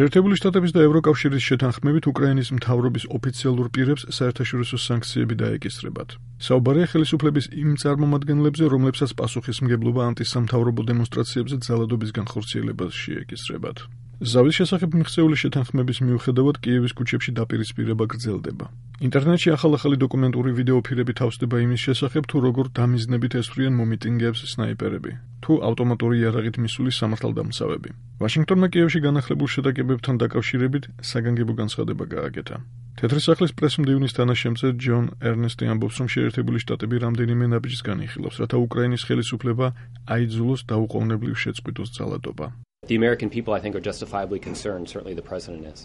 შეერთებული შტატების და ევროკავშირის შეთანხმებით უკრაინის მთავრობის ოფიციალურ პირებს საერთაშორისო სანქციები დაეკისრებათ. საუბარია ხელისუფლების იმ წარმომადგენლებზე, რომლებსაც პასუხისმგებლობა ანტისამთავრობო დემონსტრაციებზე ძალადობის განხორციელებაში ეკისრებათ. ზავის შესახებ მიღწეული შეთანხმების მიუხედავად კიევის ქუჩებში დაპირისპირება გრძელდება. ინტერნეტში ახალ-ახალი დოკუმენტური ვიდეოფირები თავსდება იმის შესახებ, თუ როგორ დამიზნებით ესვრიან მომიტინგეებს სნაიპერები, თუ ავტომატური იარაღით მისული სამართალდამცავები. ვაშინგტონმა კიევში განახლებულ შეტაკებებთან დაკავშირებით საგანგებო განცხადება გააკეთა. თეთრი სახლის პრესმდივნის თანაშემწე ჯონ ერნესტი ამბობს, რომ შეერთებული შტატები რამდენიმე ნაბიჯს განიხილავს, რათა უკრაინის ხელისუფლება აიძულოს დაუყოვნებლივ შეწყვიტოს ძალადობა. The American people, I think, are justifiably concerned. Certainly the president is.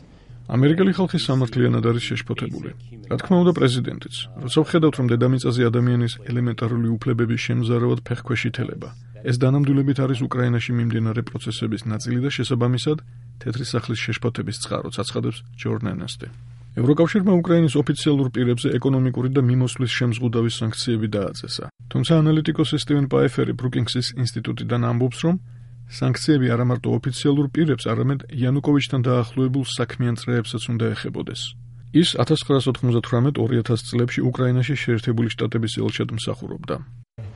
ამერიკელი ხალხი სამართლიანად არის შეშფოთებული. რა თქმა უნდა, პრეზიდენტიც. როცა ვხედავთ, რომ დედამიწაზე ადამიანის ელემენტარული უფლებების შემზარავად ფეხქვეშ ითელება, ეს დანამდვილებით არის უკრაინაში მიმდინარე პროცესების ნაწილი და შესაბამისად, თეთრი სახლის შეშფოთების წყაროც აცხადებს ჯონ ერნესტი. ევროკავშირმა უკრაინის ოფიციალურ პირებზე ეკონომიკური და მიმოსვლის შემზღუდავი სანქციები დააწესა. თუმცა ანალიტიკოსი სტივენ პაიფერი ბრუკინგსის ინსტიტუტიდან ამბობს, რომ სანქციები არა მარტო ოფიციალურ პირებს, არამედ იანუკოვიჩთან დაახლოებულ საქმიან წრეებსაც უნდა ეხებოდეს. ის 1998-2000 წლებში უკრაინაში შეერთებული შტატების ელჩად მსახურობდა.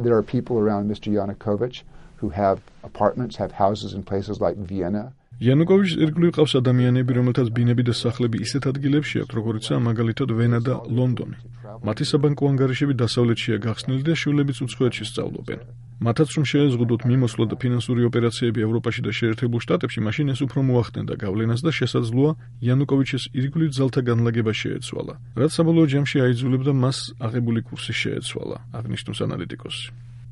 There are people around Mr. Yanukovych who have apartments, have houses in places like Vienna. იანუკოვიჩს ირგვლივ ყავს ადამიანები, რომელთაც ბინები და სახლები ისეთ ადგილებში აქვთ, როგორიცაა მაგალითად ვენა და ლონდონი. მათი საბანკო ანგარიშები დასავლეთშია გახსნილი და შვილებიც უცხოეთში სწავლობენ. მათაც რომ შეეზღუდოთ მიმოსვლა და ფინანსური ოპერაციები ევროპაში და შეერთებულ შტატებში, მაშინ ეს უფრო მოახდენდა გავლენას და შესაძლოა იანუკოვიჩის ირგვლივ ძალთა განლაგება შეეცვალა, რაც საბოლოო ჯამში აიძულებდა მას აღებული კურსი შეეცვალა, აღნიშნავს ანალიტიკოსი.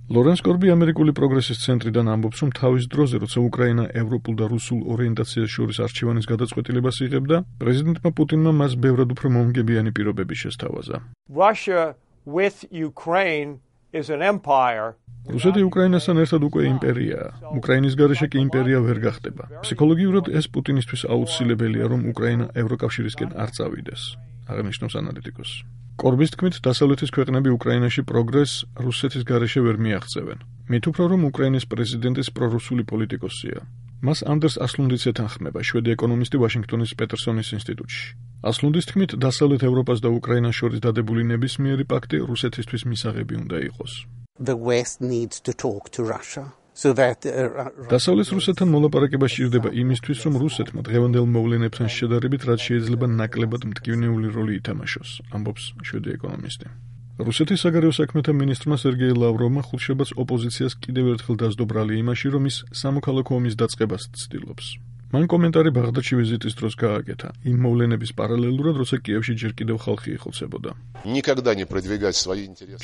ლორენს კორბი ამერიკული პროგრესის ცენტრიდან ამბობს, რომ თავის დროზე, როცა უკრაინა ევროპულ და რუსულ ორიენტაციას შორის არჩევანის გადაწყვეტილებას იღებდა, პრეზიდენტმა პუტინმა მას ბევრად უფრო მომგებიანი პირობები შესთავაზა. Russia with Ukraine is an empire. რუსეთი უკრაინასთან ერთად უკვე იმპერიაა. უკრაინის გარეშე კი იმპერია ვერ გახდება. ფსიქოლოგიურად ეს პუტინისთვის აუცილებელია, რომ უკრაინა ევროკავშირისკენ არ წავიდეს, აღნიშნავს ანალიტიკოსი. კორბის თქმით, დასავლეთის ქვეყნები უკრაინაში პროგრესს რუსეთის გარეშე ვერ მიაღწევენ. მით უფრო რომ უკრაინის პრეზიდენტის პრორუსული პოლიტიკოსია. მას ანდერს ასლუნდიც ეთანხმება, შვედი ეკონომისტი ვაშინგტონის პეტერსონის ინსტიტუტში. ასლუნდის თქმით, დასავლეთ ევროპას და უკრაინას შორის დადებული ნებისმიერი პაქტი რუსეთისთვის მისაღები უნდა იყოს. The West needs to talk to Russia so that დასავლეთ რუსეთთან მოლაპარაკება სჭირდება იმისთვის, რომ რუსეთმა დღევანდელ მოვლენებთან შედარებით რაც შეიძლება ნაკლებად მტკივნეული როლი ითამაშოს, ამბობს შვედი ეკონომისტი. რუსეთის საგარეო საქმეთა მინისტრმა სერგეი ლავროვმა ხუთშაბათს ოპოზიციას კიდევ ერთხელ დასდო ბრალი იმაში, რომ ის სამოქალაქო ომის დაწყებას ცდილობს. მან კომენტარი ბაღდადში ვიზიტის დროს გააკეთა, იმ მოვლენების პარალელურად, როცა კიევში ჯერ კიდევ ხალხი იხოცებოდა.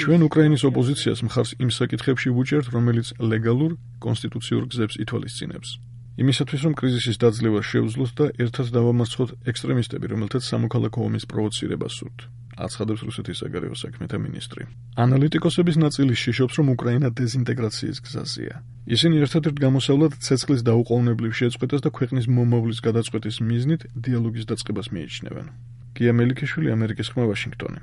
ჩვენ უკრაინის ოპოზიციას მხარს იმ საკითხებში ვუჭერთ, რომელიც ლეგალურ, კონსტიტუციურ გზებს ითვალისწინებს. იმისათვის, რომ კრიზისის დაძლევა შეუძლოთ და ერთად დავამარცხოთ ექსტრემისტები, რომელთაც სამოქალაქო ომის პროვოცირება სურთ, აცხადებს რუსეთის საგარეო საქმეთა მინისტრი. ანალიტიკოსების ნაწილი შეშობს, რომ უკრაინა დეზინტეგრაციის გზაზეა. ისინი ერთადერთ გამოსავლად ცეცხლის დაუყოვნებლივ შეწყვეტას და ქვეყნის მომავლის გადაწყვეტის მიზნით დიალოგის დაწყებას მიიჩნევენ. გია მელიქიშვილი, ამერიკის ხმა, ვაშინგტონი.